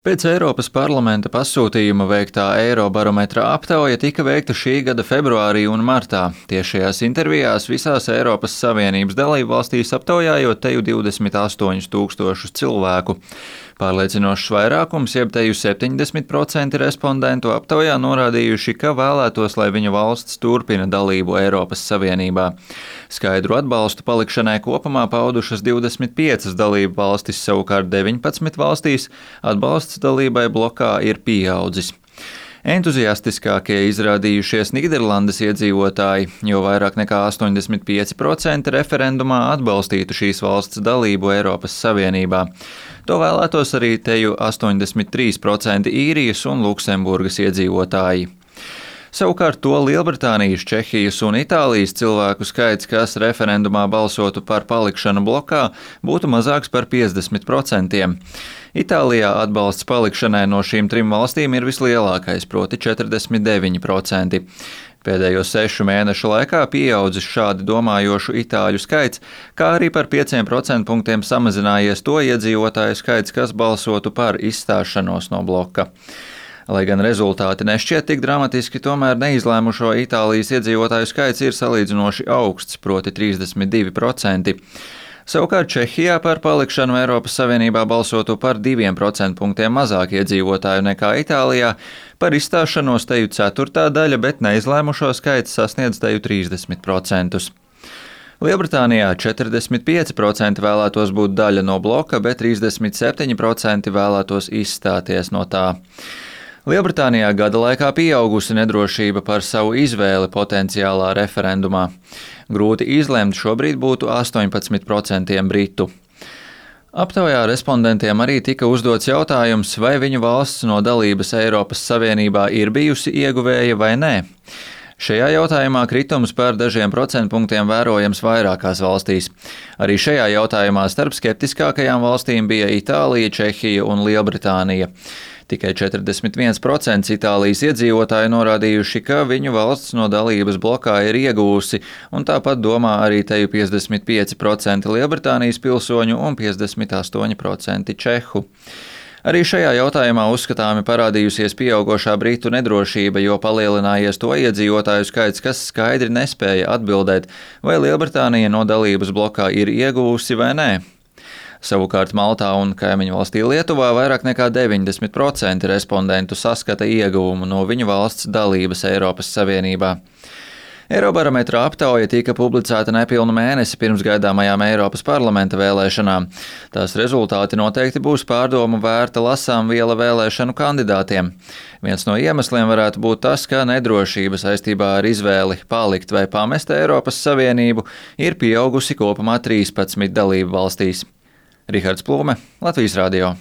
Pēc Eiropas parlamenta pasūtījuma veiktā Eirobarometra aptauja tika veikta šī gada februārī un martā. Tiešajās intervijās visās Eiropas Savienības dalībvalstīs aptaujājot teju 28,000 cilvēku. Pārliecinošs vairākums, jeb teju 70% respondentu aptaujā norādījuši, ka vēlētos, lai viņu valsts turpina dalību Eiropas Savienībā. Skaidru atbalstu palikšanai kopumā paudušas 25 dalību valstis, savukārt 19 valstīs atbalsts dalībai blokā ir pieaudzis. Entuziastiskākie izrādījušies Nīderlandes iedzīvotāji, jo vairāk nekā 85% referendumā atbalstītu šīs valsts dalību Eiropas Savienībā. To vēlētos arī teju 83% īrijas un Luksemburgas iedzīvotāji. Savukārt to Lielbritānijas, Čehijas un Itālijas cilvēku skaits, kas referendumā balsotu par palikšanu blokā, būtu mazāks par 50%. Itālijā atbalsts palikšanai no šīm trim valstīm ir vislielākais, proti 49%. Pēdējo 6 mēnešu laikā pieaudzis šādi domājošu itāļu skaits, kā arī par 5% punktiem samazinājies to iedzīvotāju skaits, kas balsotu par izstāšanos no bloka. Lai gan rezultāti nešķiet tik dramatiski, tomēr neizlēmušo Itālijas iedzīvotāju skaits ir salīdzinoši augsts, proti 32%. Savukārt Čehijā par palikšanu Eiropas Savienībā balsotu par 2% punktiem mazāk iedzīvotāju nekā Itālijā, par izstāšanos teju ceturtā daļa, bet neizlēmušo skaits sasniedz teju 30%. Lielbritānijā 45% vēlētos būt daļa no bloka, bet 37% vēlētos izstāties no tā. Lielbritānijā gada laikā pieaugusi nedrošība par savu izvēli potenciālā referendumā. Grūti izlemt šobrīd būtu 18% britu. Aptaujā respondentiem arī tika uzdots jautājums, vai viņu valsts no dalības Eiropas Savienībā ir bijusi ieguvēja vai nē. Šajā jautājumā kritums par dažiem procentpunktiem vērojams vairākās valstīs. Arī šajā jautājumā starp skeptiskākajām valstīm bija Itālija, Čehija un Lielbritānija. Tikai 41% Itālijas iedzīvotāji norādījuši, ka viņu valsts no dalības blokā ir iegūsi, un tāpat domā arī teju 55% Lielbritānijas pilsoņu un 58% čehu. Arī šajā jautājumā uzskatāmi parādījusies pieaugošā britu nedrošība, jo palielinājies to iedzīvotāju skaits, kas skaidri nespēja atbildēt, vai Lielbritānija no dalības blokā ir iegūsi vai nē. Savukārt Maltā un kaimiņu valstī Lietuvā vairāk nekā 90% respondentu saskata ieguvumu no viņu valsts dalības Eiropas Savienībā. Eirobarometra aptauja tika publicēta nepilnu mēnesi pirms gaidāmajām Eiropas parlamenta vēlēšanām. Tās rezultāti noteikti būs pārdomu vērta lasām viela vēlēšanu kandidātiem. Viens no iemesliem varētu būt tas, ka nedrošība saistībā ar izvēli palikt vai pamest Eiropas Savienību ir pieaugusi kopumā 13 dalību valstīs. Rihards Plūme, Latvijas radio.